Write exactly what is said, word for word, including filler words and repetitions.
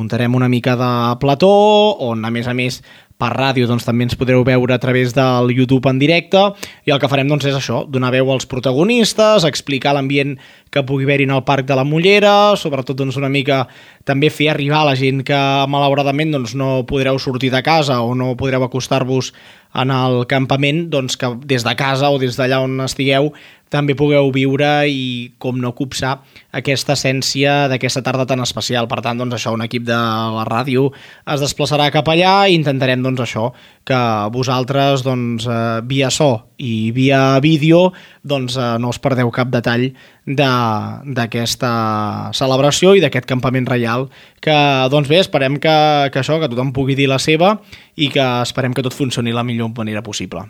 muntarem una mica de plató, on a més a més per ràdio doncs, també ens podreu veure a través del YouTube en directe, i el que farem doncs, és això, donar veu als protagonistes, explicar l'ambient que pugui haver-hi en el Parc de la Mollera, sobretot doncs, una mica també fer arribar a la gent que malauradament doncs, no podreu sortir de casa o no podreu acostar-vos en el campament, doncs, que des de casa o des d'allà on estigueu també pugueu viure i, com no, copsar aquesta essència d'aquesta tarda tan especial. Per tant, doncs, això, un equip de la ràdio es desplaçarà cap allà i intentarem doncs, això, que vosaltres doncs, eh, via so i via vídeo doncs, eh, no us perdeu cap detall d'aquesta celebració i d'aquest campament reial que, doncs bé, esperem que, que això, que tothom pugui dir la seva i que esperem que tot funcioni de la millor manera possible.